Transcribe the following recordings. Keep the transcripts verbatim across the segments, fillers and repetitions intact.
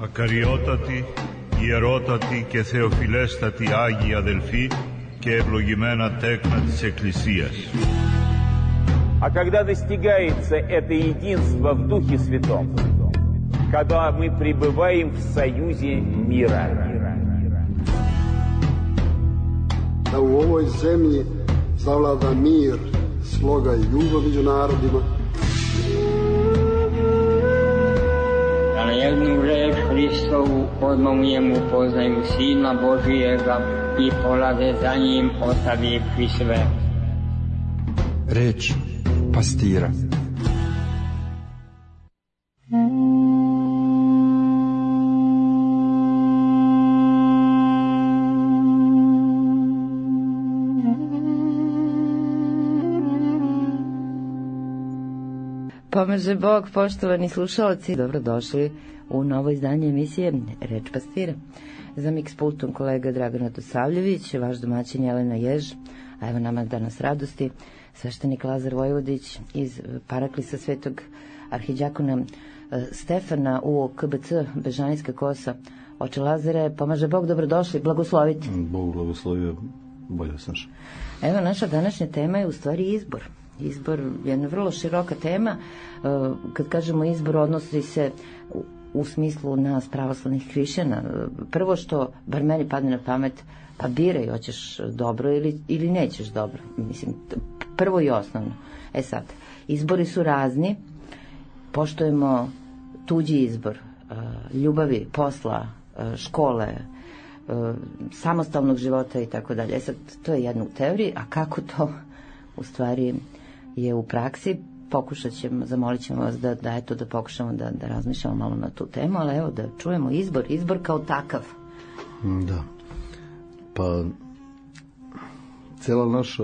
Ακαριότατοι, ιερότατοι και θεοφιλέστατοι Άγιοι αδελφοί και ευλογημένα τέκνα της Εκκλησίας. А когда достигается это единство в Духе Святом, когда мы пребываем в союзе мира. Da u ovoj zemlji zavlada mir, sloga i ljubav među narodima. Da na jednu reč Hristovu odmomujemo, poznaju Sina Božijega i polaze za njim ostavivši sve. Reč pastira. Pomaže Bog, poštovani slušalci, dobrodošli u novo izdanje emisije Reč pastira. Za miks pultom kolega Dragan Radosavljević, vaš domaćin Jelena Jež, a evo nama danas radosti, sveštenik Lazar Vojvodić iz Paraklisa Svetog arhidjakona Stefana u K B C Bežanijska Kosa. Oče Lazare, pomaže Bog, dobrodošli, blagosloviti. Bog blagoslovio, bolje snaš. Evo, naša današnja tema je u stvari izbor. Izbor je jedna vrlo široka tema. Kad kažemo izbor, odnosi se u smislu nas pravoslavnih hrišćana. Prvo što, bar meni padne na pamet, pa biraj, hoćeš dobro ili, ili nećeš dobro. Mislim, prvo i osnovno. E sad, izbori su razni, poštujemo tuđi izbor, ljubavi, posla, škole, samostalnog života i tako dalje. E sad, to je jedna u teoriji, a kako to u stvari je u praksi, pokušat ćemo, zamolit ćemo vas da, da eto, da pokušamo da, da razmišljamo malo na tu temu, ali evo da čujemo izbor, izbor kao takav. Da, pa cijela naša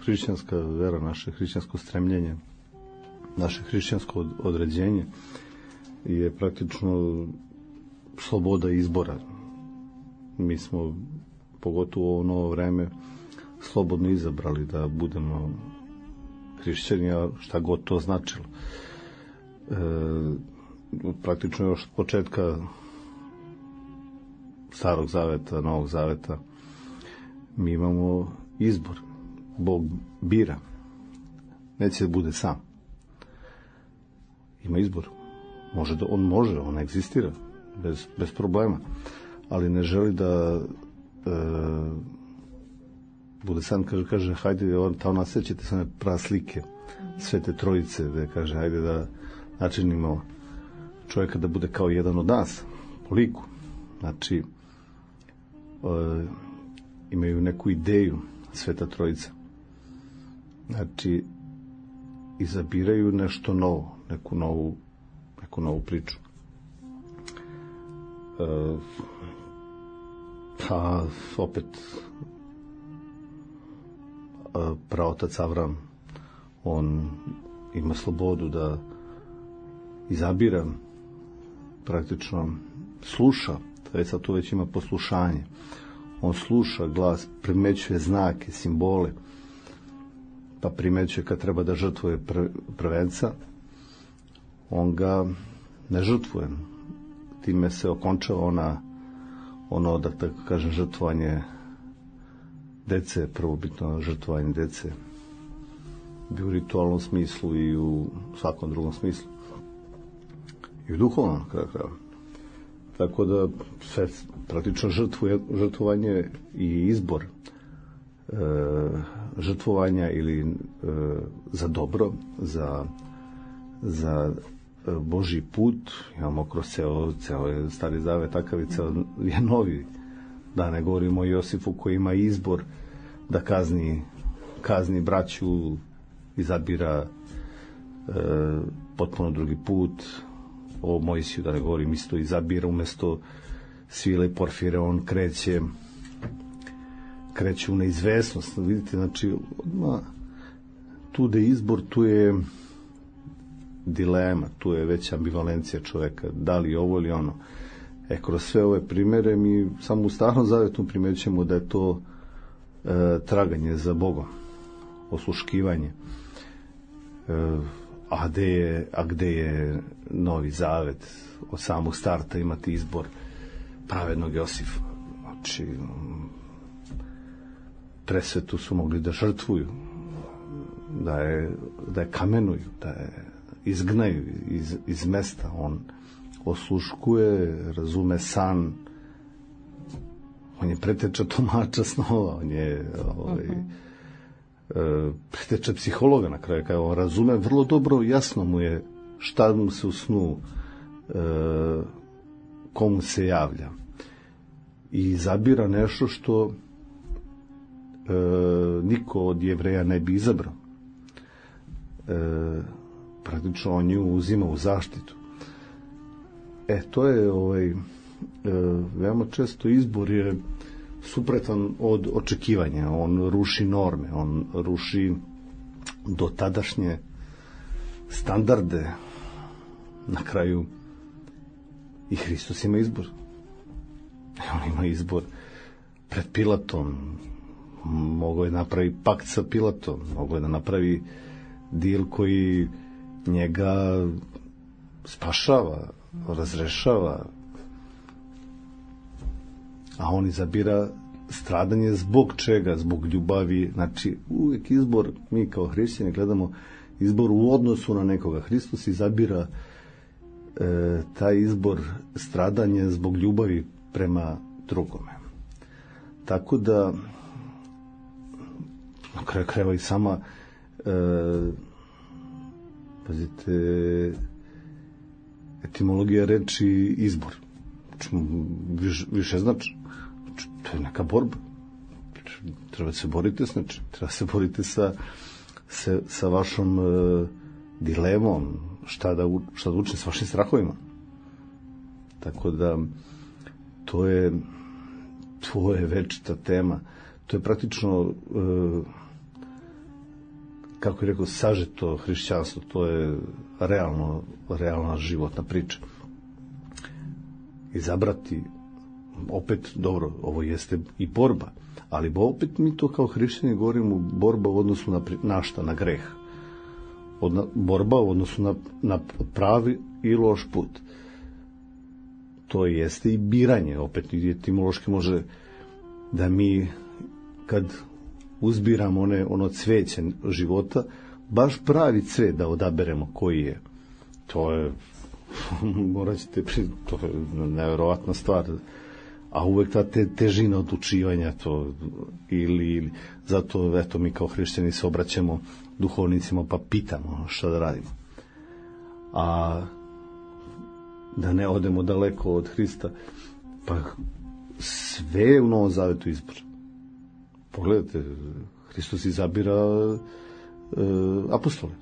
hrišćanska vera, naše hrišćansko stremljenje, naše hrišćansko određenje je praktično sloboda izbora. Mi smo, pogotovo u ovo novo vreme, slobodno izabrali da budemo hrišćani, a šta god to značilo. E, praktično još od početka Starog zaveta, Novog zaveta, mi imamo izbor. Bog bira. Neće da bude sam. Ima izbor. Može da, on može, on egzistira bez, bez problema, ali ne želi da e, bude sam, kaže, kaže hajde, on, ta ona sećate se one praslike Svete Trojice, da kaže, hajde da načinimo čovjeka da bude kao jedan od nas, po liku. Znači, e, imaju neku ideju Sveta Trojica. Znači, izabiraju nešto novo, neku novu, neku novu priču. E, pa, opet, praotac Avram, on ima slobodu da izabira, praktično sluša, već sad to već ima poslušanje, on sluša glas, primećuje znake, simbole, pa primećuje kad treba da žrtvuje pr- prvenca, on ga ne žrtvuje, time se okončava ona, ono, da tako kažem, žrtvovanje dece, prvobitno žrtvovanje dece, bi u ritualnom smislu i u svakom drugom smislu. I u duhovnom kraju kraja. Tako da sve praktično žrtvuje, žrtvovanje i izbor e, žrtvovanja ili e, za dobro, za, za Božji put, imamo kroz ceo, ceo Stari Zavet, takav i ceo je novi. Da ne govorimo o Josifu koji ima izbor da kazni, kazni braću, izabira e, potpuno drugi put. O Mojsiju, da ne govorim, isto izabira umjesto Svile i Porfire, on kreće kreće u neizvesnost. Vidite, znači, odmah, tu da je izbor, tu je dilema, tu je već ambivalencija čoveka, da li ovo ili ono. E, kroz sve ove primere mi samo u Starom Zavetu primećujemo da je to e, traganje za Bogom, osluškivanje. E, a gde je, a gde je Novi Zavet od samog starta imati izbor pravednog Josifa. Znači, presvetu su mogli da žrtvuju, da je, da je kamenuju, da je izgnaju iz, iz mesta. On osluškuje, razume san, on je preteča tumača snova, on je ovaj, uh-huh. preteča psihologa na kraju, kada on razume vrlo dobro, jasno mu je šta mu se u snu, uh, komu se javlja, i zabira nešto što uh, niko od Jevreja ne bi izabrao. Uh, praktično on nju uzima u zaštitu. E, to je ovaj, e, veoma često izbor je supretan od očekivanja. On ruši norme, on ruši dotadašnje standarde. Na kraju i Hristos ima izbor. On ima izbor pred Pilatom. Mogao je napravi pakt sa Pilatom. Mogao je da napravi dil koji njega spašava, razrešava, a on izabira stradanje zbog čega? Zbog ljubavi. Znači, uvijek izbor, mi kao hrišćani gledamo izbor u odnosu na nekoga. Hristos izabira e, taj izbor stradanje zbog ljubavi prema drugome. Tako da na kraju krajeva i sama e, pazite, etimologija reči izbor. Viš, više znači, to je neka borba. Treba se boriti s nečim. Treba se boriti sa, sa, sa vašom e, dilemom, šta da, šta da učini s vašim strahovima. Tako da, to je, to je večita tema. To je praktično, e, kako je rekao, sažeto hrišćanstvo. To je realno, realna životna priča. Izabrati, opet, dobro, ovo jeste i borba, ali opet mi to kao hrišćani govorimo borba u odnosu na, na šta, na greh. Od, borba u odnosu na, na pravi i loš put. To jeste i biranje, opet etimološki može da mi kad uzbiramo one, ono cveće života, baš pravi cvet da odaberemo koji je. To je, morat ćete, to je nevjerovatna stvar. A uvek ta te, težina odlučivanja, to, ili, ili, zato, eto, mi kao hrišćani se obraćamo duhovnicima pa pitamo šta da radimo. A da ne odemo daleko od Hrista, pa sve je u Novom Zavetu izbor. Pogledajte, Hristos izabira e, apostole.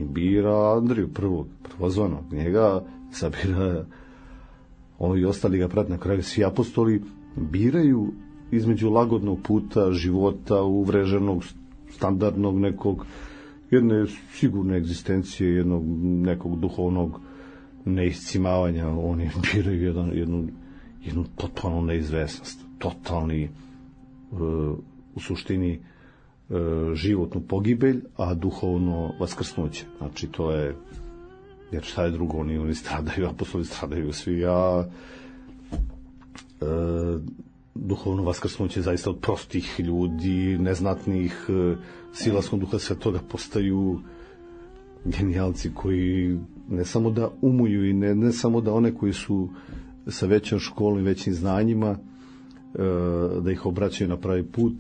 I bira Andriju prvog, prvozvanog. Njega izabira, ono i ostali ga prati. Na kraju svi apostoli biraju između lagodnog puta, života, uvreženog, standardnog nekog, jedne sigurne egzistencije, jednog nekog duhovnog neiscimavanja. Oni biraju jedan, jednu, jednu totalnu neizvesnost, totalni u suštini životnu pogibelj, a duhovno vaskrsnuće. Znači, to je, jer šta je drugo, oni, oni stradaju, apostoli stradaju svi, a e, duhovno vaskrsnuće zaista od prostih ljudi, neznatnih, silaskom duha svetoga postaju genijalci koji ne samo da umuju i ne, ne samo da one koji su sa većom školom i većim znanjima da ih obraćaju na pravi put,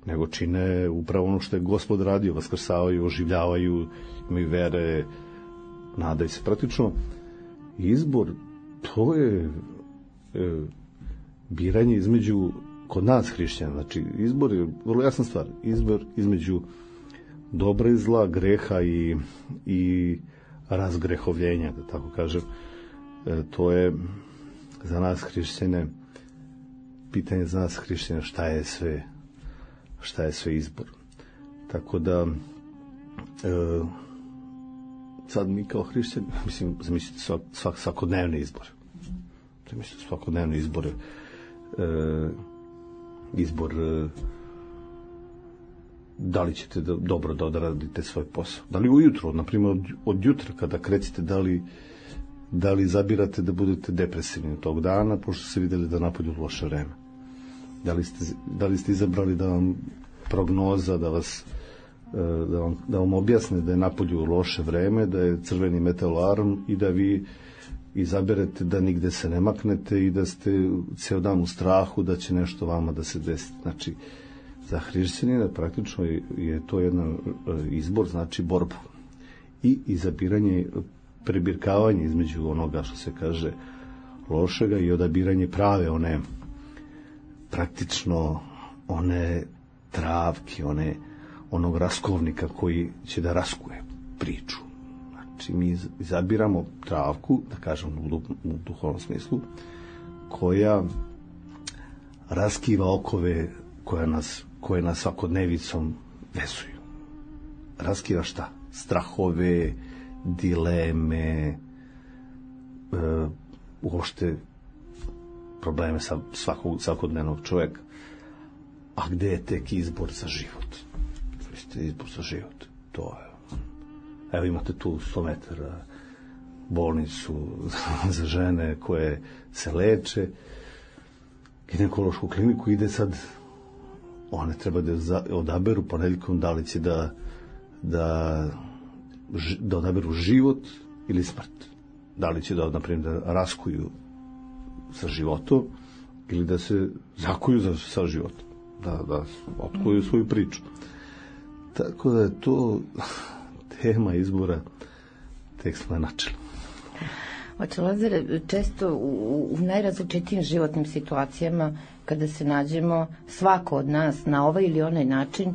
nego čine upravo ono što je Gospod radio, vaskrsavaju, oživljavaju, imaju vere, nadaju se. Praktično izbor, to je e, biranje između, kod nas hrišćana, znači izbor je vrlo jasna stvar, izbor između dobra i zla, greha i, i razgrehovljenja, da tako kažem. E, to je za nas hrišćane, pitanje za nas hrišćana, šta je sve šta je sve izbor. Tako da e, sad mi kao hrišćani, mislim, zamislite svak, svak, svakodnevne izbore. Zamislite svakodnevne izbore. E, izbor e, da li ćete da, dobro da odradite svoj posao. Da li ujutro, na primjer od, od jutra kada krećete, da li, da li zabirate da budete depresivni tog dana, pošto ste vidjeli da napolju loše vreme. Da li ste, da li ste izabrali da vam prognoza, da vas da vam, da vam objasne da je napolju loše vreme, da je crveni metal alarm i da vi izaberete da nigde se ne maknete i da ste ceo dan u strahu da će nešto vama da se desi. Znači, za hrišćanina praktično je to jedan izbor, znači borba. I izabiranje, prebirkavanje između onoga što se kaže lošega i odabiranje prave, one praktično one travke, one onog raskovnika koji će da raskuje priču. Znači, mi izabiramo travku, da kažem u, u duhovnom smislu, koja raskiva okove koja nas, koje nas svakodnevicom vezuju. Raskiva šta? Strahove, dileme, e, uopšte probleme sa svakog, svakodnevnog čovjeka. A gde je tek izbor za život? Izbor za život. To je. Evo imate tu sto metara bolnicu za žene koje se leče, ginekološku kliniku, ide sad, one treba da odaberu ponedjeljkom da li će da, da, da odaberu život ili smrt. Da li će da, na primjer, da raskuju sa životom ili da se zakuju za, sa životom. Da, da otkuju svoju priču. Tako da je to tema izbora, tek smo je načeli. Oče Lazare, često u, u najrazličitijim životnim situacijama, kada se nađemo, svako od nas na ovaj ili onaj način uh,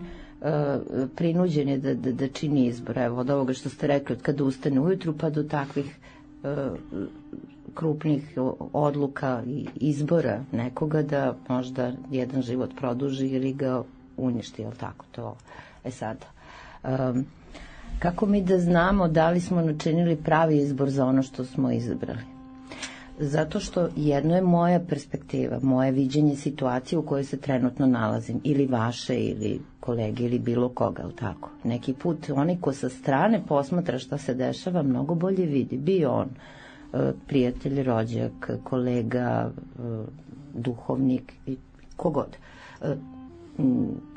prinuđen je da, da, da čini izbor. Evo, od ovoga što ste rekli, od kada ustane ujutru pa do takvih uh, krupnih odluka i izbora nekoga da možda jedan život produži ili ga uništi, jel tako to? E sad, um, kako mi da znamo da li smo načinili pravi izbor za ono što smo izabrali? Zato što jedno je moja perspektiva, moje viđenje situacije u kojoj se trenutno nalazim, ili vaše, ili kolege, ili bilo koga, jel tako? Neki put onaj ko sa strane posmatra šta se dešava, mnogo bolje vidi. Bio on prijatelj, rođak, kolega, duhovnik i kogod.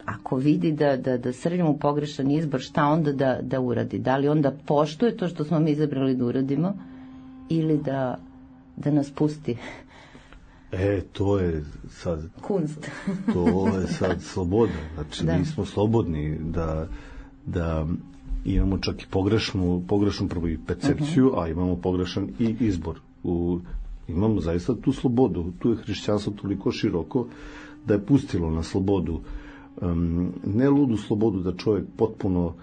Ako vidi da, da, da srljamo pogrešan izbor, šta onda da, da uradi? Da li onda poštuje to što smo mi izabrali da uradimo ili da, da nas pusti? E, to je sad... Kunst. To je sad sloboda. Znači, da. Mi smo slobodni da, da imamo čak i pogrešnu, pogrešnu prvo i percepciju, uh-huh. a imamo pogrešan i izbor. U, imamo zaista tu slobodu. Tu je hrišćanstvo toliko široko da je pustilo na slobodu. Um, ne ludu slobodu da čovjek potpuno,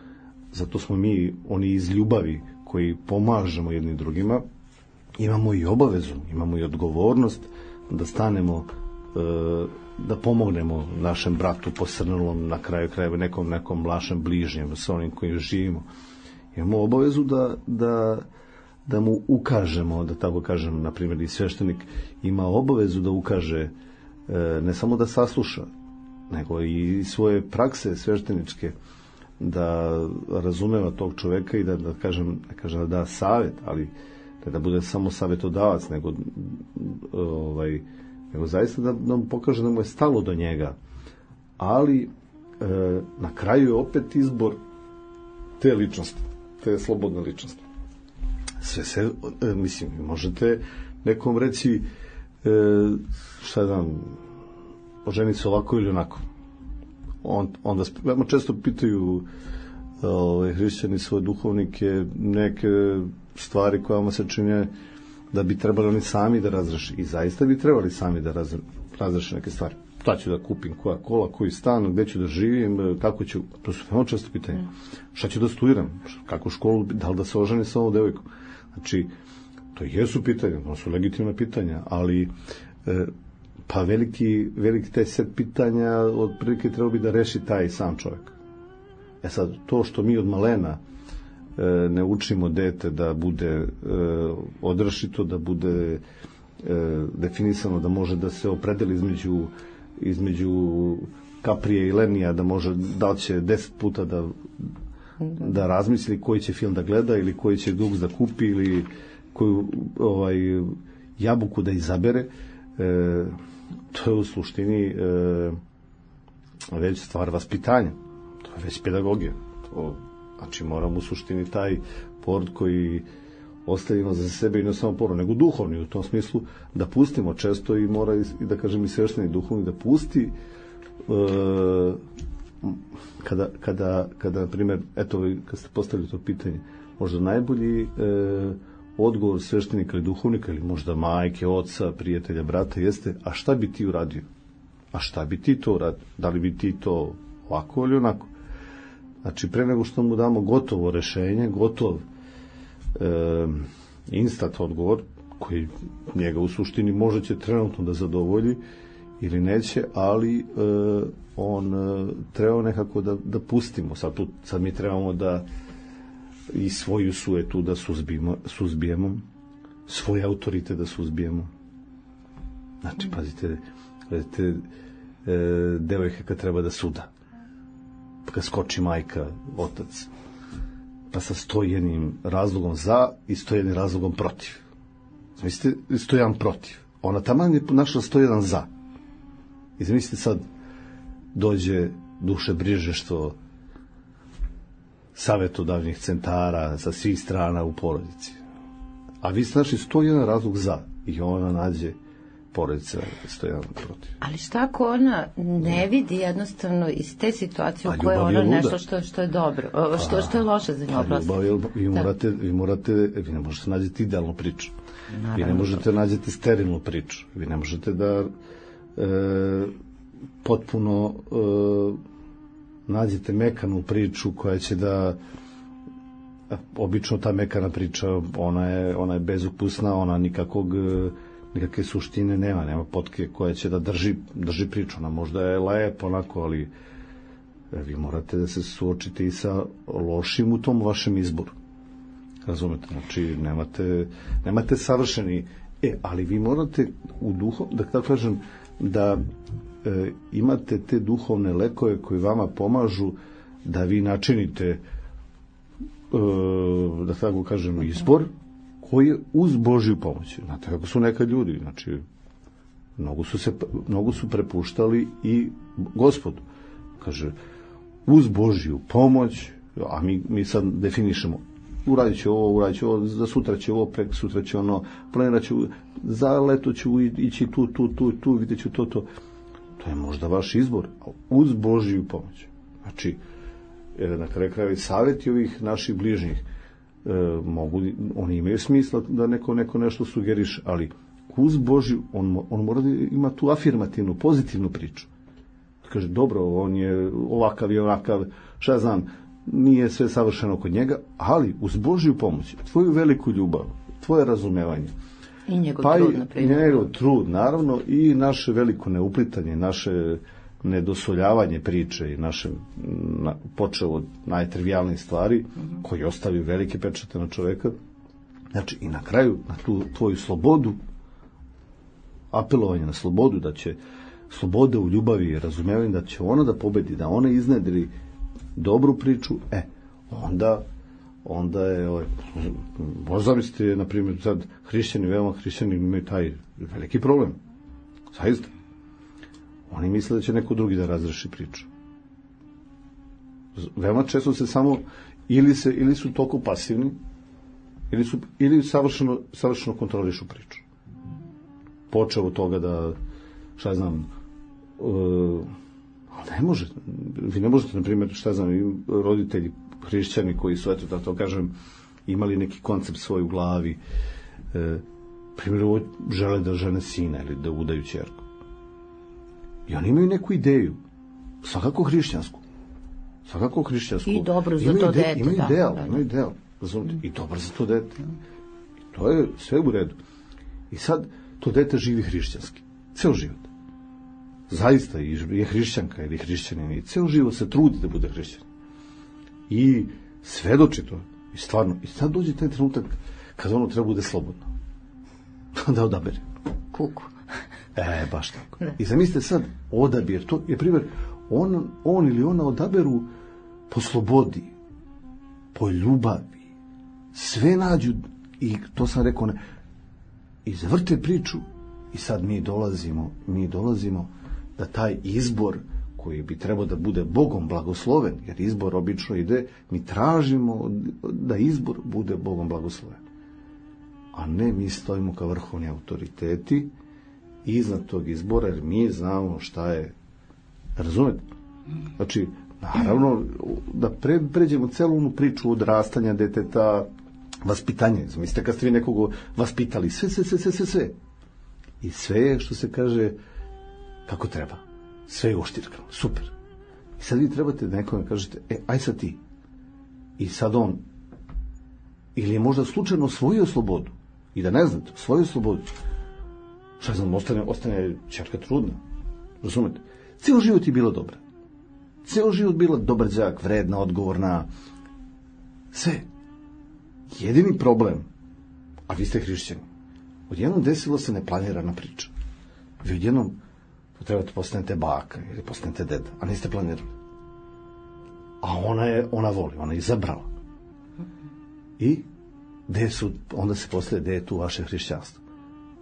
zato smo mi oni iz ljubavi koji pomažemo jednim drugima, imamo i obavezu, imamo i odgovornost da stanemo, uh, da pomognemo našem bratu posrnulom, na kraju krajeva nekom nekom našem bližnjem, sa onim kojim živimo. Imamo obavezu da, da, da mu ukažemo, da tako kažem, na primjer i sveštenik ima obavezu da ukaže, uh, ne samo da sasluša, nego i svoje prakse svešteničke, da razumeva tog čoveka i da, da kažem, da kažem da da savjet, ali da, da bude samo savjetodavac, nego ovaj, nego zaista da nam pokaže da mu je stalo do njega. Ali e, na kraju je opet izbor te ličnosti, te slobodne ličnosti. Sve se, e, mislim, možete nekom reći e, šta znam, oženiti se ovako ili onako. On, onda veoma često pitaju ove, hrišćani svoje duhovnike neke stvari koje vam se čine da bi trebali oni sami da razreši. I zaista bi trebali sami da razreši neke stvari. Šta ću da kupim, koja kola, koji stan, gde ću da živim, kako ću, to su veoma često pitanje. Šta ću da studiram, kako školu, da li da se oženi sa ovom devojkom. Znači, to jesu pitanja, to su legitimne pitanja, ali e, pa veliki, veliki taj set pitanja otprilike treba bi da reši taj sam čovjek. E sad, to što mi od malena e, ne učimo dete da bude e, odrašito, da bude e, definisano, da može da se opredeli između, između Kaprije i Lenija da može, da će deset puta da da razmisli koji će film da gleda ili koji će duks da kupi ili koju ovaj, jabuku da izabere, e, to je u suštini e, već stvar vaspitanja, to je već pedagogija. To, znači moramo u suštini taj porod koji ostavimo za sebe i ne samo porod, nego duhovni u tom smislu da pustimo često i mora i da kažem i svešteni duhovni da pusti e, kada, kada, kada na primjer, eto, kad ste postavili to pitanje, možda najbolji e, odgovor sveštenika ili duhovnika ili možda majke, oca, prijatelja, brata jeste, a šta bi ti uradio? A šta bi ti to uradio? Da li bi ti to ovako ili onako? Znači, pre nego što mu damo gotovo rešenje, gotov e, instant odgovor, koji njega u suštini možda će trenutno da zadovolji ili neće, ali e, on e, treba nekako da, da pustimo. Sad, tu, sad mi trebamo da i svoju sujetu da suzbijemo, suzbijemo svoj autoritet da suzbijemo. Znači, pazite, pazite e, devojka kad treba da suda, pa kad skoči majka, otac, pa sa sto jednim razlogom za i sto jednim razlogom protiv. Zamislite, sto jedan protiv. Ona taman je našla sto jedan za. I zamislite sad, dođe duše brižeštvo savetodavnih centara sa svih strana u porodici. A vi ste našli sto jedan razlog za i ona nađe porodica sto jedan protiv. Ali šta ako ona ne vidi jednostavno iz te situacije u kojoj je ono nešto što, što je dobro, što, što je loše za nju. Ljubav je, vi, morate, vi morate, vi ne možete nađeti idealnu priču. Naravno. Vi ne možete nađeti sterilnu priču. Vi ne možete da e, potpuno e, nađete mekanu priču koja će da obično ta mekana priča ona je, ona je bezukusna, ona nikakvog nikakve suštine nema, nema potke koja će da drži, drži priču, ona možda je lepo onako, ali vi morate da se suočite i sa lošim u tom vašem izboru, razumete, znači nemate, nemate savršeni, e, ali vi morate u duhu, da tako kažem, da e, imate te duhovne lekove koji vama pomažu da vi načinite e, da tako kažem izbor koji je uz Božju pomoć. Znate kako su nekad ljudi, znači mnogo su, se, mnogo su prepuštali i Gospodu. Kaže, uz Božju pomoć, a mi, mi sad definišemo, uradit će ovo, uradit će ovo, za sutra će ovo, prek sutra će ono, planirat ću, za leto ću ići tu, tu, tu, tu, vidjet ću to, to. To je možda vaš izbor, uz Božju pomoć. Znači, na kraju krajeva savjeti ovih naših bližnjih, e, mogu, oni imaju smisla da neko, neko nešto sugeriše, ali uz Božju, on, on mora da ima tu afirmativnu, pozitivnu priču. Kaže, dobro, on je ovakav i onakav, šta znam, nije sve savršeno kod njega, ali uz Božju pomoć, tvoju veliku ljubav, tvoje razumevanje, i njegov pa trud, i njegov trud, naravno, i naše veliko neuplitanje, naše nedosoljavanje priče i naše, na, počeo od najtrivijalnijih stvari, mm-hmm. koji ostavio velike pečate na čoveka, znači i na kraju, na tu tvoju slobodu, apelovanje na slobodu, da će sloboda u ljubavi i razumevanje, da će ona da pobedi, da ona iznedri dobru priču, e, onda onda je, ovaj, možda zamislite, na primjer, sad hrišćani, veoma hrišćani imaju taj veliki problem. Zaista. Oni misle da će neko drugi da razreši priču. Veoma često se samo, ili, se, ili su toliko pasivni, ili, su, ili savršeno, savršeno kontrolišu priču. Počeo od toga da, šta znam, uh, ne može, vi ne možete, na primjer, šta znam, roditelji hrišćani koji su, eto, da to kažem, imali neki koncept svoj u glavi, e, primjer, žele da žene sina ili da udaju ćerku. I oni imaju neku ideju, svakako hrišćansku, svakako hrišćansku. I dobro za to dete, imaju da. Ideal, imaju ideal, razumite, i dobro za to dete. I to je sve u redu. I sad, to dete živi hrišćanski, ceo život. Zaista je hrišćanka ili hrišćanin i ceo život se trudi da bude hrišćan. I svedoči to. I stvarno, i sad dođe taj trenutak kad ono treba bude slobodno. Da odabere. Kuku. E, baš tako. I zamislite sad odabir, to je primjer on, on ili ona odaberu po slobodi, po ljubavi, sve nađu, i to sam rekao, ne, i zavrte priču, i sad mi dolazimo, mi dolazimo da taj izbor koji bi trebao da bude Bogom blagosloven, jer izbor obično ide, mi tražimo da izbor bude Bogom blagosloven. A ne, mi stojimo kao vrhovni autoriteti iznad tog izbora, jer mi znamo šta je. Razumete? Znači, naravno, da pre, pređemo celu onu priču odrastanja deteta, vaspitanje. Mislite kad ste vi nekog vaspitali, sve, sve, sve, sve, sve, sve. I sve je, što se kaže, kako treba. Sve je oštirkano, super. I sad vi trebate da nekome kažete, e, aj sad ti. I sad on, ili je možda slučajno osvojio slobodu, i da ne znate, osvojio slobodu, šta znam, ostane, ostane ćerka trudna. Razumete? Cijelo život je bila dobra. Cijelo život bila dobar đak, vredna, odgovorna. Sve. Jedini problem, a vi ste hrišćani, odjednom desilo se neplanirana priča. Vi odjednom trebate postanete baka ili postanete deda, a niste planirali. A ona je, ona voli, ona je izabrala. I gde su, onda se postavlja, gde je tu vaše hrišćanstvo?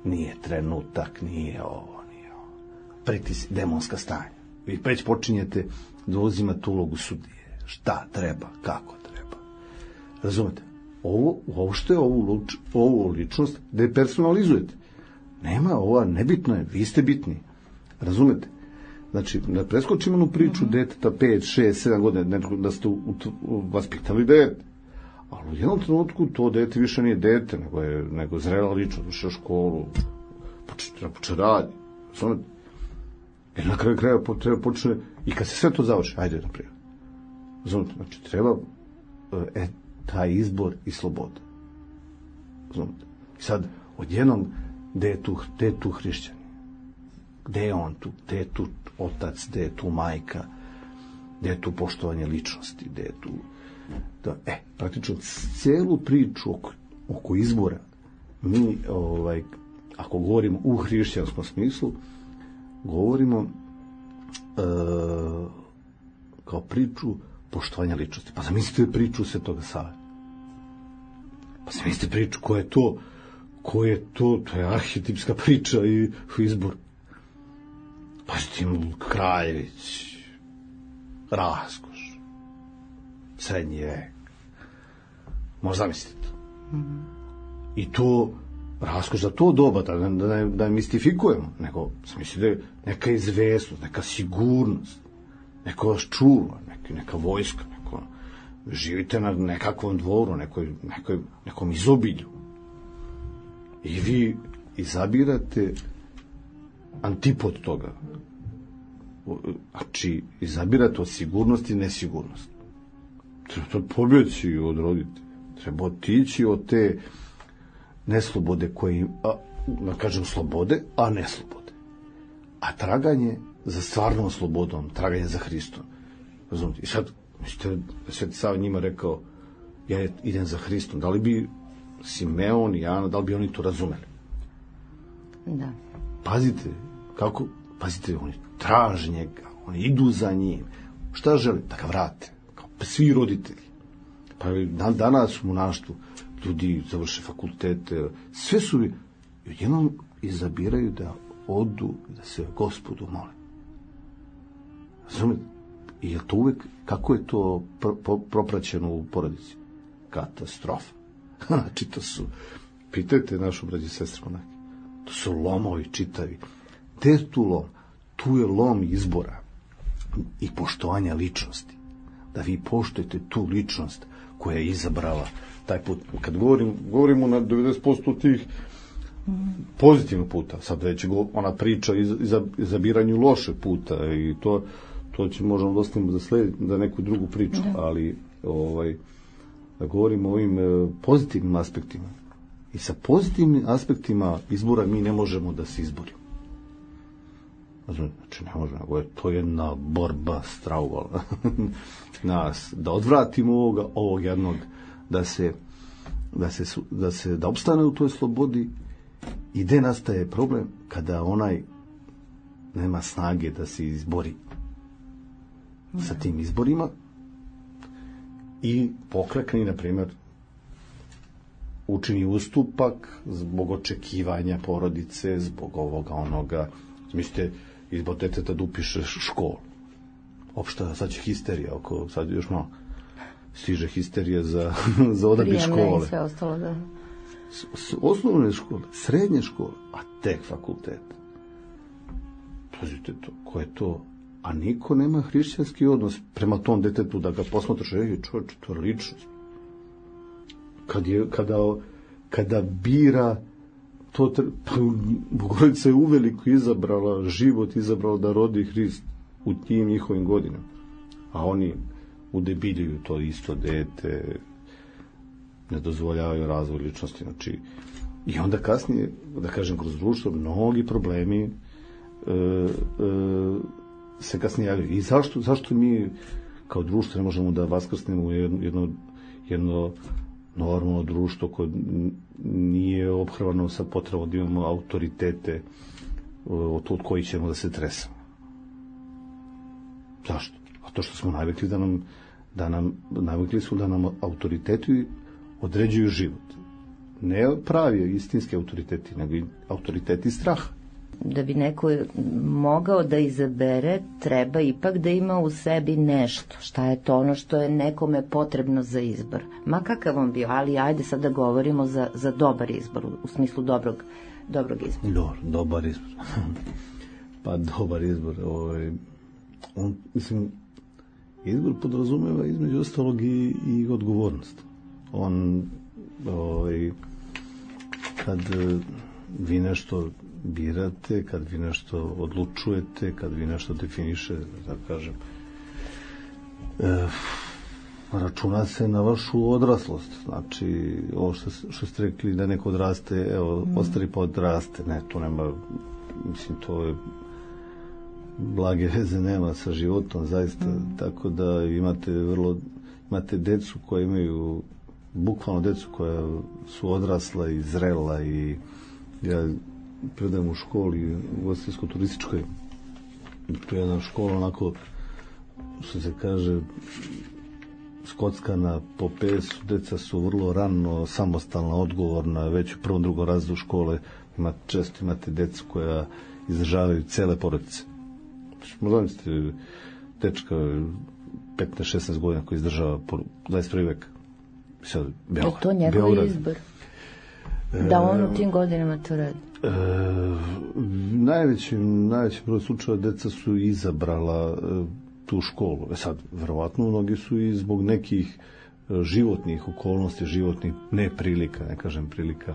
Nije trenutak, nije ovo, nije ovo. Pritis, demonska stanja. Vi već počinjete da uzimate ulogu sudije. Šta treba, kako treba. Razumete? Ovo, ovo što je ovu, ovu ličnost depersonalizujete. Nema, ova nebitno je, vi ste bitni. Razumete? Znači, da preskočimo onu priču mm-hmm. deteta pet, šest, sedam godina, da ste u, u, vaspitali dete. Ali u jednom trenutku to dete više nije dete, nego je nego zrela ličnost, ušla u školu, počne, počne radi. Razumete? Jer na kraju kraja treba počne, i kad se sve to završi, ajde naprijed. Razumete? Znači, treba e, taj izbor i sloboda. Razumete? I sad, odjednom, gde je tu, gde je tu hrišćan? Gde je on tu? Gde je tu otac? Gde je tu majka? Gde je tu poštovanje ličnosti? Gde je tu... Da, e, praktično, cijelu priču oko, oko izbora, mi, ovaj, ako govorimo u hrišćanskom smislu, govorimo e, kao priču poštovanja ličnosti. Pa zamislite priču Svetoga Save. Pa zamislite priču ko je to, ko je to, to je arhetipska priča i izbor. Pa tim Kraljević, raskoš, srednji vek. Možda zamislite to. Mm-hmm. I to, raskoš za to doba, da ne, da ne, da ne mistifikujemo, nego mislite neka izvesnost, neka sigurnost, neko vas čuva, neka, neka vojska, neko, živite na nekakvom dvoru, nekoj, nekoj, nekom izobilju. I vi izabirate antipod toga. Znači, izabirate od sigurnosti nesigurnost. Treba pobjeći od roditelja. Treba otići od te neslobode koje, a, da kažem slobode, a ne slobode. A traganje za stvarnom slobodom, traganje za Hristom. Razumite? I sad, mislite, Sveti Sava njima rekao, ja idem za Hristom. Da li bi Simeon i Ana, da li bi oni to razumeli? Da. Pazite, kako, pazite, oni traže njega, oni idu za njim. Šta žele? Da ga vrate. Kao svi roditelji. Pa dan, danas u monaštvu ljudi završe fakultete, sve su i odjednom izabiraju da odu, da se Gospodu mole. Razumete? I je to uvek, kako je to pro, pro, propraćeno u porodici? Katastrofa. Znači, to su, pitajte našu braću i sestre monake, to su lomovi čitavi. Gde je tu lom? Tu je lom izbora i poštovanja ličnosti. Da vi poštujete tu ličnost koja je izabrala taj put. Kad govorim, govorimo na devedeset posto tih pozitivnog puta, sad već ona priča iz, iz, izabiranju loše puta i to, to će možemo dostaviti za sled, da neku drugu priču, da. Ali ovaj, da govorimo o ovim pozitivnim aspektima. I sa pozitivnim aspektima izbora mi ne možemo da se izborimo. Znači, ne možemo, nego je to jedna borba strauvala nas, da odvratimo ovoga, ovog jednog, da se, da se, da se, da opstane u toj slobodi. I gde nastaje problem? Kada onaj nema snage da se izbori. sa tim izborima i poklekne, na primjer, učini ustupak zbog očekivanja porodice, zbog ovoga, onoga. Mislite, izbor deteta da upiše školu. Opšta, sad će histerija, oko, sad još malo stiže histerija za, za odabir škole. Prijemne i sve ostalo, da. S, s, osnovne škole, srednje škole, a tek fakultet. Pazite to, ko je to? A niko nema hrišćanski odnos prema tom detetu da ga posmatraš, ej, čovječe, to je ličnost. Kad je, kada, kada bira, to, pa, Bogorodica je uveliko izabrala život, izabrala da rodi Hrist u tim njihovim godinama. A oni udebiljuju to isto dete, ne dozvoljavaju razvoj ličnosti. Znači, i onda kasnije, da kažem, kroz društvo, mnogi problemi e, e, se kasnije javljaju. I zašto, zašto mi kao društvo ne možemo da vaskrsnemo jedno, jedno, jedno normalno društvo koje nije ophrvano sa potrebom da imamo autoritete od, od kojih ćemo da se tresamo. Zašto? A to što smo navikli da nam, da nam navikli smo da nam autoriteti određuju život. Ne pravi istinski autoriteti, nego i autoriteti straha. Da bi neko mogao da izabere, treba ipak da ima u sebi nešto. Šta je to ono što je nekome potrebno za izbor? Ma kakav on bio, ali ajde sad da govorimo za, za dobar izbor, u smislu dobrog, dobrog izbora. Dobar, dobar izbor. Pa dobar izbor. Ovaj, on, mislim, izbor podrazumeva između ostalog i, i odgovornost. On, ovaj, kad vi nešto birate, kad vi nešto odlučujete, kad vi nešto definiše, da kažem, e, računa se na vašu odraslost. Znači, ovo što, što ste rekli da neko odraste, evo, mm. ostari pa odraste. Ne, to nema, mislim, to je blage veze nema sa životom, zaista, mm. tako da imate vrlo, imate decu koje imaju, bukvalno decu koja su odrasla i zrela i ja predajem u školi u ugostiteljsko-turističkoj. To je jedna škola onako, što se kaže, skockana po pesu, deca su vrlo rano samostalna, odgovorna, već u prvom, drugom razredu škole ima, često imate decu koja izdržavaju cele porodice. Možda ste dečka petnaest šesnaest godina koji izdržava dvadeset prvi vek. Sad, Beograd, je to njegov izbor? Da on u tim godinama to radi? E, najvećim, najvećim broj slučaja deca su izabrala e, tu školu. E sad, verovatno mnogi su i zbog nekih životnih okolnosti, životnih neprilika, ne kažem prilika,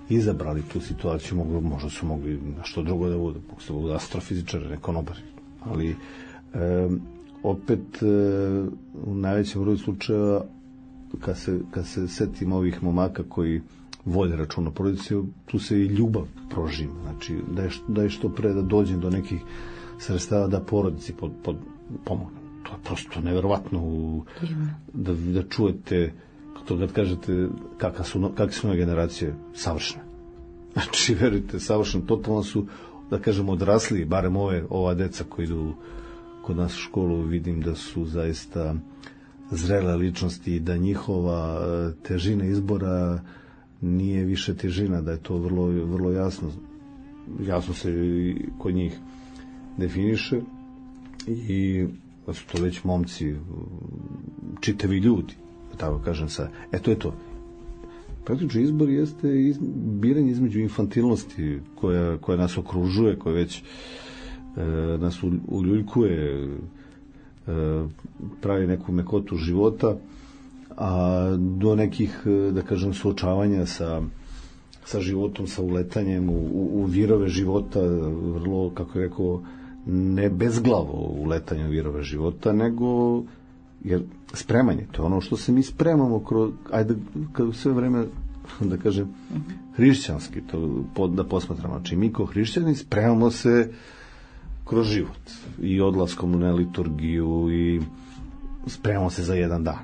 izabrali tu situaciju. Mogli, možda su mogli nešto drugo da bude, mogu se budu astrofizičari, ne konobari. Ali e, opet e, u najvećem broju slučajeva kad se, kad se setim ovih momaka koji vode računa porodici, tu se i ljubav prožima. Znači, da je, da je što pre da dođem do nekih sredstava da porodici pod, pod, pomogne. To je prosto neverovatno u, da, da čujete to kad kažete kakve su, kakve su nove generacije savršene. Znači, verujte, savršene, totalno su, da kažem, odrasli, barem ove, ova deca koji idu kod nas u školu, vidim da su zaista zrele ličnosti i da njihova težina izbora nije više težina, da je to vrlo, vrlo jasno jasno se kod njih definiše i da su to već momci, čitavi ljudi, tako kažem sad. E, to je to. Praktično izbor jeste iz, biranje između infantilnosti koja, koja nas okružuje, koja već e, nas uljuljkuje, e, pravi neku mekotu života, a do nekih, da kažem, suočavanja sa, sa životom, sa uletanjem u, u, u virove života, vrlo, kako je rekao, ne bezglavo uletanje u virove života, nego jer spremanje, to je ono što se mi spremamo kroz, ajde, kad sve vreme, da kažem, hrišćanski, to pod, da posmatramo, znači mi kao hrišćani spremamo se kroz život i odlaskom na liturgiju i spremamo se za jedan dan,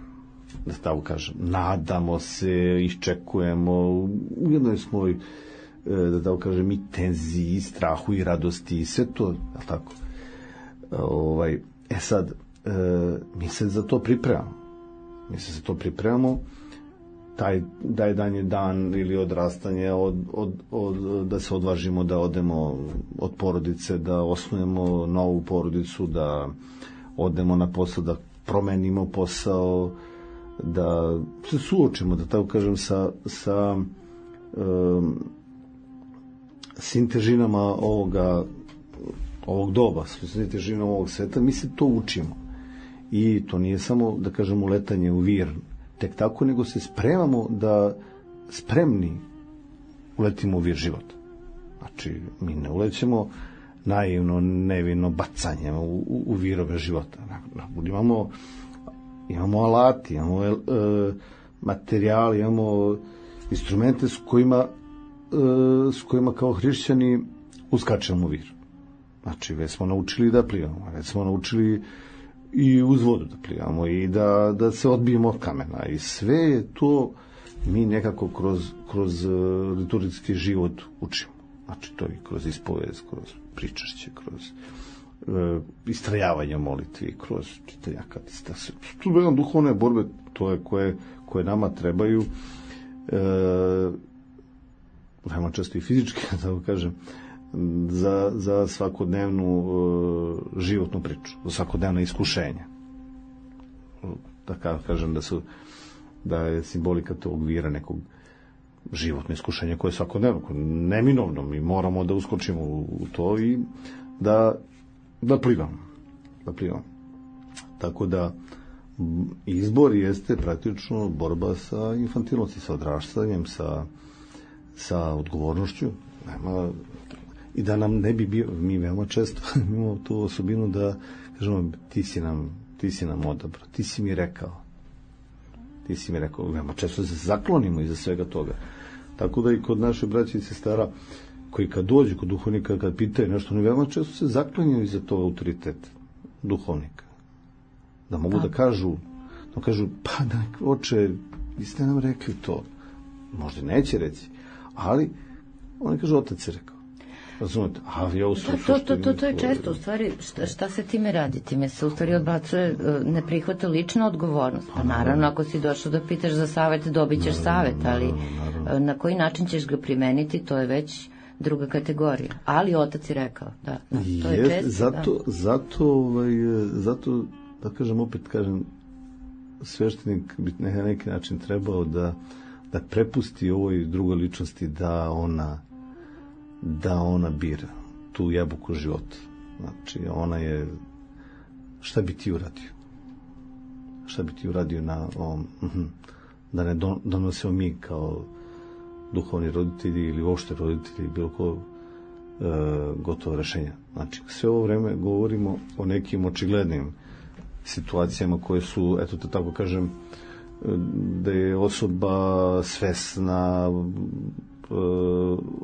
da tako kažem, nadamo se, iščekujemo, u jednoj smo, da tako kažem, i tenziji, i strahu, i radosti, i sve to, tako. Ovaj, e sad, mi se za to pripremamo. Mi se za to pripremamo, taj, taj dan je dan ili odrastanje, od, od, od, da se odvažimo da odemo od porodice, da osnujemo novu porodicu, da odemo na posao, da promenimo posao, da se suočimo, da tako kažem, sa, sa um, svim težinama ovoga, ovog doba, svim težinama ovog sveta. Mi se to učimo. I to nije samo, da kažem, uletanje u vir tek tako, nego se spremamo da spremni uletimo u vir života. Znači, mi ne ulećemo naivno, nevino bacanjem u, u, u virove života. Imamo, imamo alati, imamo e, materijali, imamo instrumente s kojima, e, s kojima kao hrišćani uskačemo u vir. Znači, već smo naučili da plivamo, već smo naučili i uz vodu da plivamo i da, da se odbijemo od kamena. I sve je to mi nekako kroz, kroz liturgijski život učimo. Znači, to i kroz ispovest, kroz pričašće, kroz e, istrajavanje molitvi, kroz čitanje akatista. Tu je jedan duhovne borbe, to je koje, koje nama trebaju, e, veoma često i fizički, da kažem, za, za svakodnevnu e, životnu priču, za svakodnevna iskušenja. Da kažem da su da je simbolika tog vira nekog životno iskušenje koje je svakodnevno, neminovno, mi moramo da uskočimo u, u to i da, da plivamo. Da plivamo. Tako da izbor jeste praktično borba sa infantilnosti, sa odraštanjem, sa, sa odgovornošću. Nema, i da nam ne bi bio, mi veoma često imamo tu osobinu da kažemo, ti si nam, ti si nam odabrao, ti si mi rekao. Ti si mi rekao, veoma često se zaklonimo iza svega toga. Tako da i kod naše braće i sestara, koji kad dođu kod duhovnika, kad pitaju nešto, oni veoma često se zaklanjaju iza tog autoriteta duhovnika. Da mogu da, da kažu, da kažu, pa da, oče, vi ste nam rekli to. Možda neće reći, ali oni kažu, otac je rekao. Razumete? A ja uslušam to, to, to, to je često, u stvari, šta, šta se time radi? Time se u stvari odbacuje, ne prihvata lična odgovornost. Pa naravno, ako si došao da pitaš za savet, dobit ćeš savet, ali na koji način ćeš ga primeniti, to je već druga kategorija. Ali otac je rekao, da, da to je, je često. Zato, da. zato, ovaj, zato, da kažem, opet kažem, sveštenik bi na neki način trebao da, da prepusti ovoj drugoj ličnosti da ona da ona bira tu jabuku života. Znači, ona je, šta bi ti uradio? Šta bi ti uradio na ovom, da ne donosimo mi kao duhovni roditelji ili uopšte roditelji, bilo ko e, gotovo rešenja. Znači, sve ovo vreme govorimo o nekim očiglednim situacijama koje su, eto te tako kažem, da je osoba svesna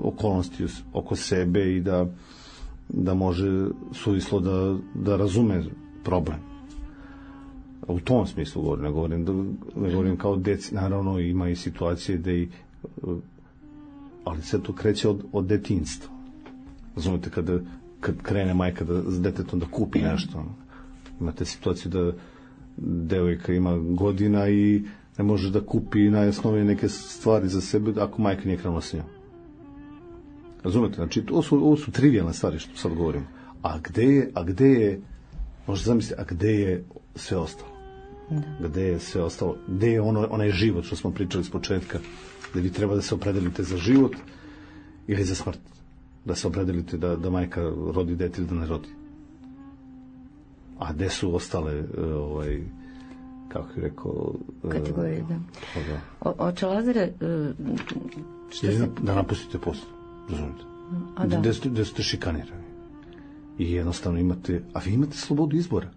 okolnosti oko sebe i da, da može suvislo da, da razume problem. U tom smislu govorim, ne govorim, da, ne govorim kao deci, naravno ima i situacije da i, ali sve to kreće od, od detinjstva. Razumete, kada, kad krene majka da, s detetom da kupi nešto, imate situaciju da devojka ima godina i ne može da kupi najosnovnije neke stvari za sebe ako majka nije krenula s njom. Razumete? Znači, ovo su, ovo su trivijalne stvari što sad govorim. A gde je, a gde je, možete zamisliti, a gde je sve ostalo? Da. Gde je sve ostalo? Gde je ono, onaj život što smo pričali s početka, da vi treba da se opredelite za život ili za smrt? Da se opredelite da, da majka rodi dete ili da ne rodi? A gde su ostale ovaj, kako je rekao kategorije, da. da. O, oče Lazare, što se... se... da napustite posao, razumite? A da. Gde ste, gde ste šikanirani. I jednostavno imate, a vi imate slobodu izbora.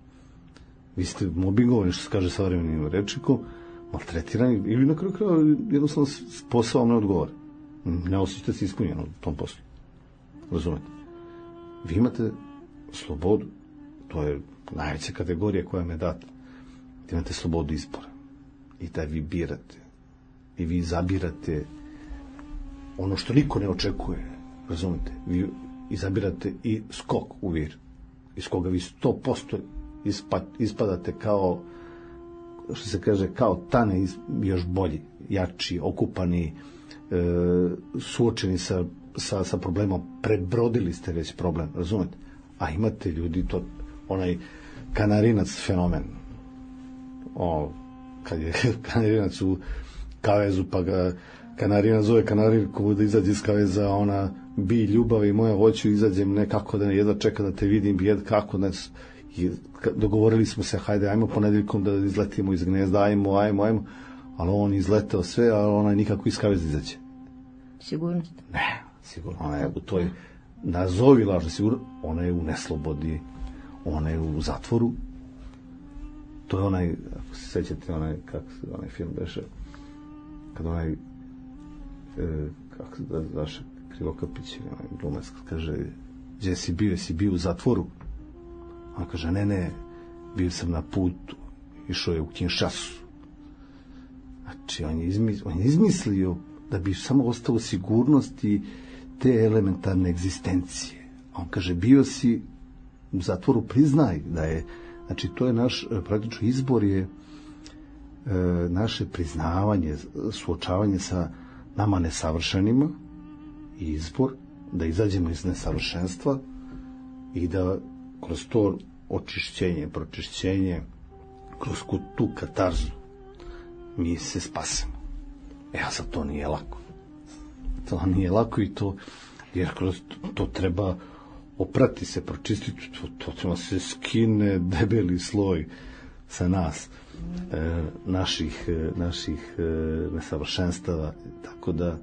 Vi ste mobingovani, što se kaže savremenim rečnikom, maltretirani, ili na kraju kraja jednostavno posao vam ne odgovara. Ne osjećate se ispunjeno u tom poslu. Razumete? Vi imate slobodu, to je najveća kategorija koja vam je data. Imate slobodu izbora i da vi birate i vi izabirate ono što niko ne očekuje, razumete, vi izabirate i skok u vir iz koga vi sto posto ispa, ispadate kao, što se kaže, kao tane, još bolji, jači, okupani, e, suočeni sa, sa, sa problemom, prebrodili ste već problem, razumete? A imate ljudi, to, onaj kanarinac fenomen, o, kad je kanarinac u kavezu, pa ga kanarina zove kanarinku da izađe iz kaveza, ona bi ljubavi moja, hoću izađem, nekako da ne jedva čeka da te vidim, jed kako da i dogovorili smo se, hajde, ajmo ponedeljkom da izletimo iz gnezda, ajmo, ajmo, ajmo, ali on izletao sve, a ona nikako iz kaveza izađe. Sigurnost? Ne, sigurno, ona je u toj nazovi lažno sigurno, ona je u neslobodi, ona je u zatvoru. To je onaj, ako se sećate, onaj, kako se, onaj film beše, kad onaj, e, kako se da, daše, Krivokapić, onaj glumac, kaže, gdje si bio, si bio u zatvoru? On kaže, ne, ne, bio sam na putu, išao je u Kinshasu. Znači, on je, izmislio, on je izmislio da bi samo ostao u sigurnosti te elementarne egzistencije. On kaže, bio si u zatvoru, priznaj da je, znači, to je naš, praktično, izbor je e, naše priznavanje, suočavanje sa nama nesavršenima i izbor da izađemo iz nesavršenstva i da kroz to očišćenje, pročišćenje, kroz tu katarzu mi se spasemo. E, a sad to nije lako. To nije lako i to, jer kroz to, to treba oprati se, pročistiti, to, to treba se skine debeli sloj sa nas, e, naših, e, naših e, nesavršenstava, tako da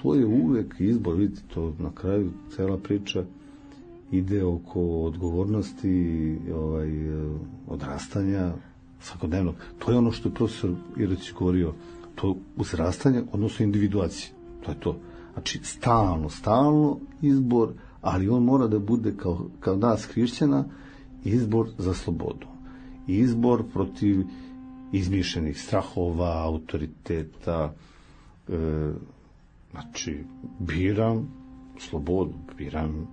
to je uvek izbor, vidite, to na kraju cela priča ide oko odgovornosti, ovaj, odrastanja svakodnevnog. To je ono što je profesor Iračić govorio, to uzrastanje, odnosno individuacije. To je to. Znači, stalno, stalno izbor, ali on mora da bude kao, kao nas hrišćana, izbor za slobodu. Izbor protiv izmišljenih strahova, autoriteta, e, znači, biram slobodu, biram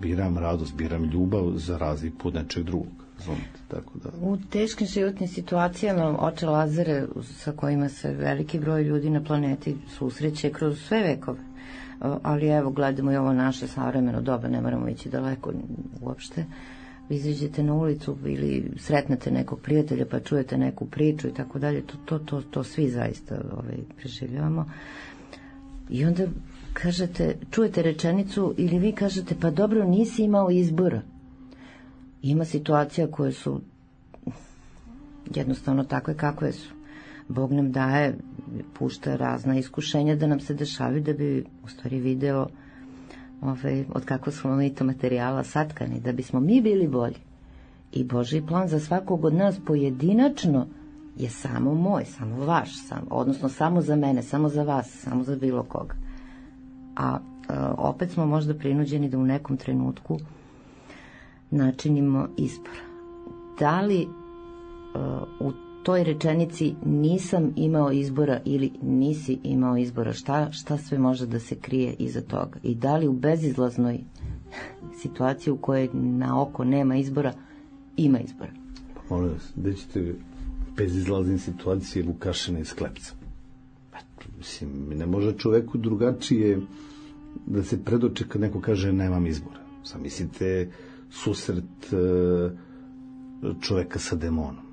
biram radost, biram ljubav za razliku od nečeg drugog. Razumite, tako da. U teškim životnim situacijama oče Lazare sa kojima se veliki broj ljudi na planeti susreće kroz sve vekove. Ali evo, gledamo i ovo naše savremeno doba, ne moramo ići daleko uopšte. Vi izađete na ulicu ili sretnete nekog prijatelja pa čujete neku priču i tako dalje. To, to, to, to svi zaista ovaj, preživljavamo. I onda kažete, čujete rečenicu ili vi kažete, pa dobro, nisi imao izbora. Ima situacija koje su jednostavno takve kakve su. Bog nam daje, pušta razna iskušenja da nam se dešavi da bi u stvari video ove, od kako smo mi to materijala satkani, da bismo mi bili bolji. I Božji plan za svakog od nas pojedinačno je samo moj, samo vaš, sam, odnosno samo za mene, samo za vas, samo za bilo koga. A e, opet smo možda prinuđeni da u nekom trenutku načinimo izbor. Da li e, u toj rečenici nisam imao izbora ili nisi imao izbora, šta, šta sve može da se krije iza toga? I da li u bezizlaznoj situaciji u kojoj na oko nema izbora, ima izbora? Molim vas, gde ćete bezizlazne situacije Vukašina iz Klepca? Mislim, ne može čoveku drugačije da se predoče kad neko kaže nemam izbora. Sam mislite susret čoveka sa demonom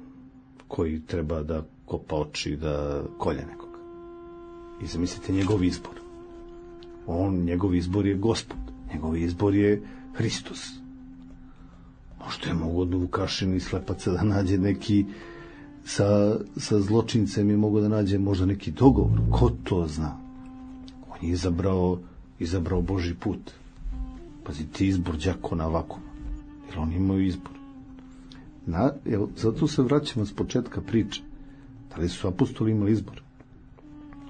koji treba da kopa oči, da kolje nekoga. I zamislite njegov izbor. On, njegov izbor je Gospod. Njegov izbor je Hristos. Možda je mogo od Vukašina i Slepaca da nađe neki sa, sa zločincem je mogo da nađe možda neki dogovor. Ko to zna? On je izabrao, izabrao Božji put. Pazite, izbor đakona vakuma. Jer on imao izbor. Na, evo, zato se vraćamo s početka priče. Da li su apostoli imali izbor?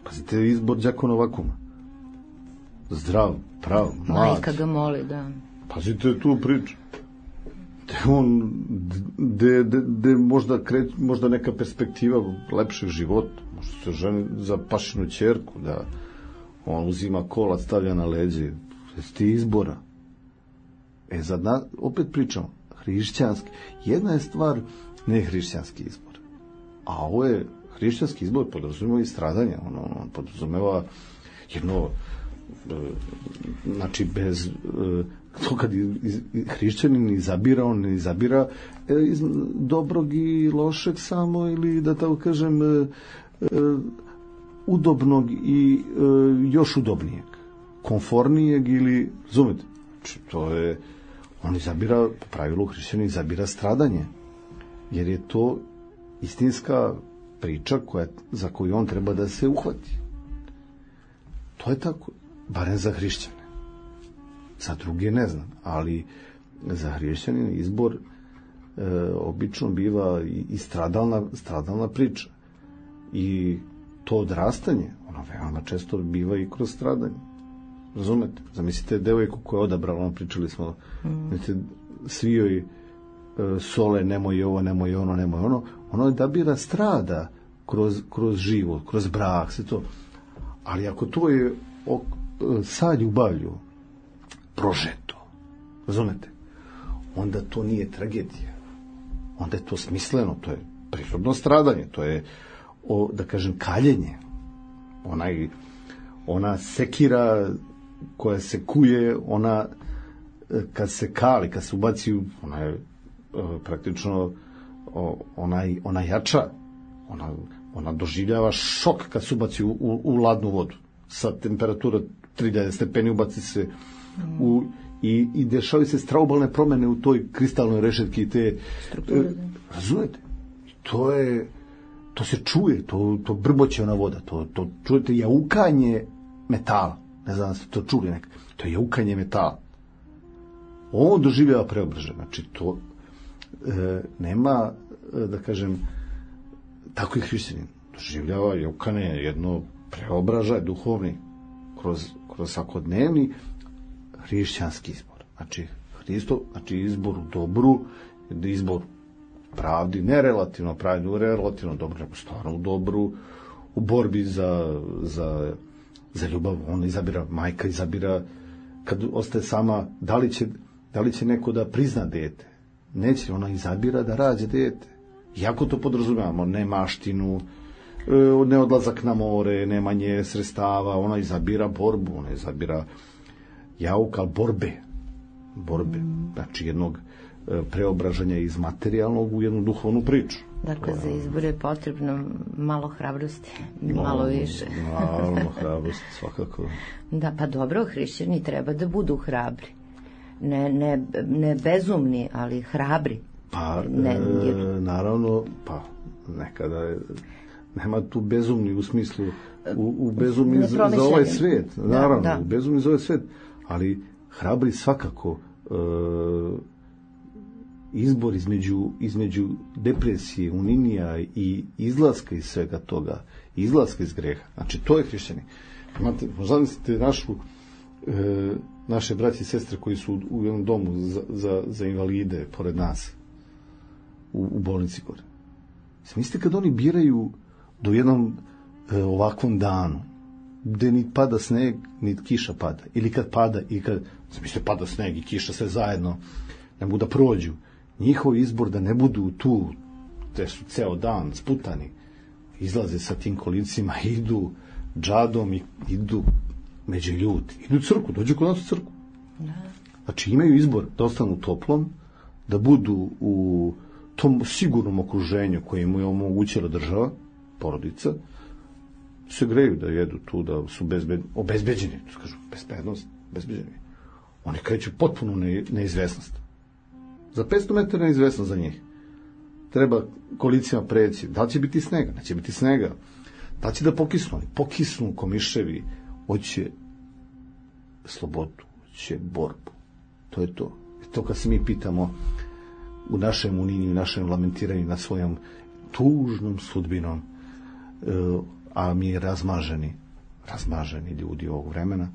Pazite, izbor đakona vakuma. Zdrav, prav, mlad. Majka ga moli, da. Pazite tu priču. De on, de, de, de možda, kreć, možda neka perspektiva lepšeg života. Možda se ženi za pašinu ćerku, da on uzima kolac, stavlja na leđe. Jeste izbora. E, sad, na, opet pričamo. hrišćanski. Jedna je stvar nehrišćanski izbor, a ovo je hrišćanski izbor, podrazumeva i stradanje, ono, on podrazumeva jedno, znači bez to kad hrišćanin izabira, on ne izabira iz dobrog i lošeg samo, ili da tako kažem udobnog i još udobnijeg, konfornijeg, ili razumete, znači to je, on izabira, po pravilu hrišćanin izabira stradanje, jer je to istinska priča koja, za koju on treba da se uhvati. To je tako, barem za hrišćane. Za druge ne znam, ali za hrišćanina izbor e, obično biva i, i stradalna, stradalna priča. I to odrastanje, ono veoma često biva i kroz stradanje. Razumete? Zamislite devojku koja je odabrala, ono pričali smo, mm. svi joj e, sole, nemoj ovo, nemoj ono, nemoj ono, ono je da bira strada kroz, kroz život, kroz brak, sve to. Ali ako to je ok, sa ljubavlju prožeto, razumete, onda to nije tragedija, onda je to smisleno, to je prirodno stradanje, to je, o, da kažem, kaljenje, onaj, ona sekira koja se kuje, ona kad se kali, kad se ubaci, ona je praktično ona, ona jača, ona, ona doživljava šok kad se ubaci u, u, u ladnu vodu, sa temperatura tri hiljade stepeni ubaci se u, i, i dešavaju se straubalne promene u toj kristalnoj rešetki i te strukture, razumete, to je, to se čuje, to, to brboće ona voda, to, to čujete jaukanje metala, ne znam da ste to čuli nekak, to je jaukanje metala. On doživljava preobražaj, znači to e, nema, e, da kažem, tako i hrišćanin doživljava jaukanje, jedno preobražaj duhovni kroz, kroz svakodnevni hrišćanski izbor. Znači, Hristo, znači izbor u dobru, izbor pravdi, ne relativno pravdi, relativno dobro, nego stvarno u dobru, u borbi za, za, za ljubav. On izabira, majka izabira, kad ostaje sama, da li će, da li će neko da prizna dete? Neće, ona izabira da rađe dete. Iako to podrazumijamo, ne maštinu, ne odlazak na more, nemanje sredstava, ona izabira borbu, ona izabira jauk, ali borbe, borbe, znači jednog preobražanja iz materijalnog u jednu duhovnu priču. Dakle, za izbor je potrebno malo hrabrosti, malo no, više. Malo hrabrosti, svakako. Da, pa dobro, hrišćani treba da budu hrabri. Ne, ne, ne bezumni, ali hrabri. Pa, ne, jer... e, naravno, pa, nekada je, nema tu bezumni u smislu, u, u bezumni za, za ovaj svijet, naravno, da, da. bezumni za ovaj svijet, ali hrabri svakako e, izbor između, između depresije, uninija i izlaska iz svega toga, izlaska iz greha. Znači, to je hrišćani. Imate, zamislite našu, e, naše braće i sestre koji su u jednom domu za, za, za invalide pored nas, u, u bolnici gore. Mislite kad oni biraju do jednom e, ovakvom danu, gde ni pada sneg, ni kiša pada, ili kad pada, i kad, mislite, pada sneg i kiša sve zajedno, ne mogu da prođu, njihov izbor da ne budu tu, te su ceo dan sputani, izlaze sa tim kolicima, idu džadom i idu među ljudi, idu u crku, dođu kod nas u crku. Znači imaju izbor da ostanu toplom, da budu u tom sigurnom okruženju koje mu je omogućila država, porodica, se greju da jedu tu, da su bezbed, obezbeđeni, to kažu, bezbednost, bezbeđeni. Oni kreću potpuno ne, neizvesnost. Za petsto metara neizvesnost za njih. Treba kolicijama preći. Da li će biti snega? Neće biti snega. Da li će da pokisnu? Pokisnu komiševi. Hoće slobodu, hoće borbu. To je to. I to kad se mi pitamo u našem uninju, u našem lamentiranju na svojom tužnom sudbinom, a mi razmaženi, razmaženi ljudi ovog vremena,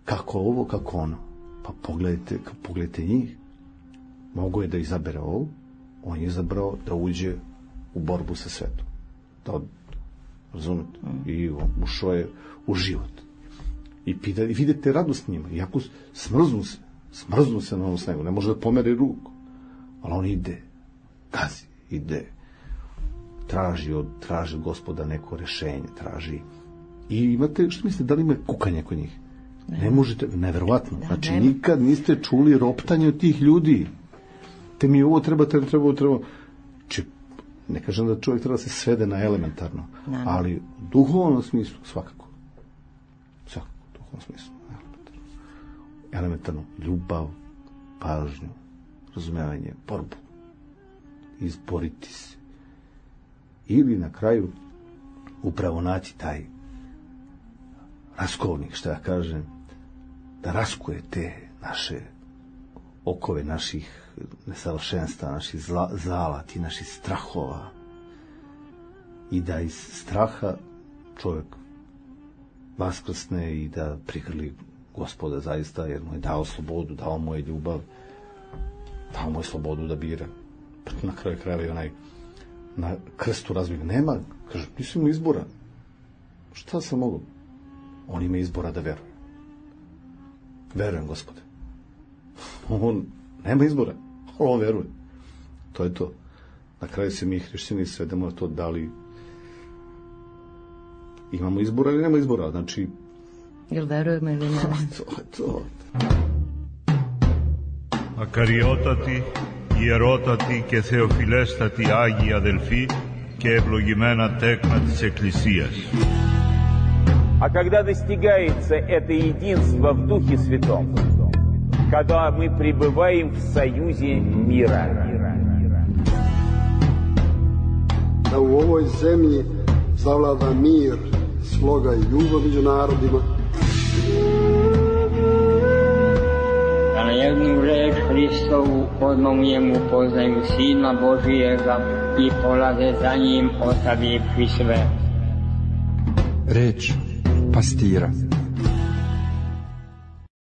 kako ovo, kako ono. Pa pogledajte, pogledajte njih. Mogu je da izabere ovo, on je izabrao da uđe u borbu sa svetom. Da od, razumete? I ušao je u život. I, pita, i vidite radost njima. Iako smrznu se, smrznu se na ovom snegu, ne može da pomere ruku. ali on ide, gazi, ide, traži od, traži od Gospoda neko rešenje, traži. I imate, što mislite, da li ima kukanje kod njih? Ne, ne možete, neverovatno. Da, znači, nema. Nikad niste čuli roptanje od tih ljudi. Te mi ovo treba, treba, treba, treba. Či, ne kažem da čovjek treba da se svede na elementarno, ne, ne. Ali u duhovnom smislu, svakako. Svakako, u duhovnom smislu. Elementarno. Elementarno, ljubav, pažnju, razumevanje, borbu. Izboriti se. Ili na kraju upravo naći taj raskovnik, što ja kažem, da raskuje te naše okove naših nesavršenstva, naših zla, zalati, naših strahova i da iz straha čovjek vaskrsne i da prihrli Gospoda zaista, jer mu je dao slobodu, dao mu je ljubav, dao mu je slobodu da bira. Na kraju krajeva i onaj na krstu razbih nema, kaže, nisam mu izbora. Šta sam mogu? On ima izbora da veruje. Verujem, Gospode. On nema izbora, on veruje. To je to. Na kraju se mi hrišćani svedemo na to da li imamo izbora ili nema izbora. Znači, jel verujemo ili ne? To je to. Ακαριότατη, ιερότατη και θεοφιλέστατη Άγιοι αδελφοί και ευλογημένα τέκνα της Εκκλησίας. А когда достигается это единство в Духе Святом, когда мы пребываем в союзе мира. Da u ovoj zemlji zavlada mir, sloga i ljubav među narodima. Da na jednu reč Hristovu odmah u njemu poznaju Sina Božijega i polaze za njim ostavivši sve. Reč pastira.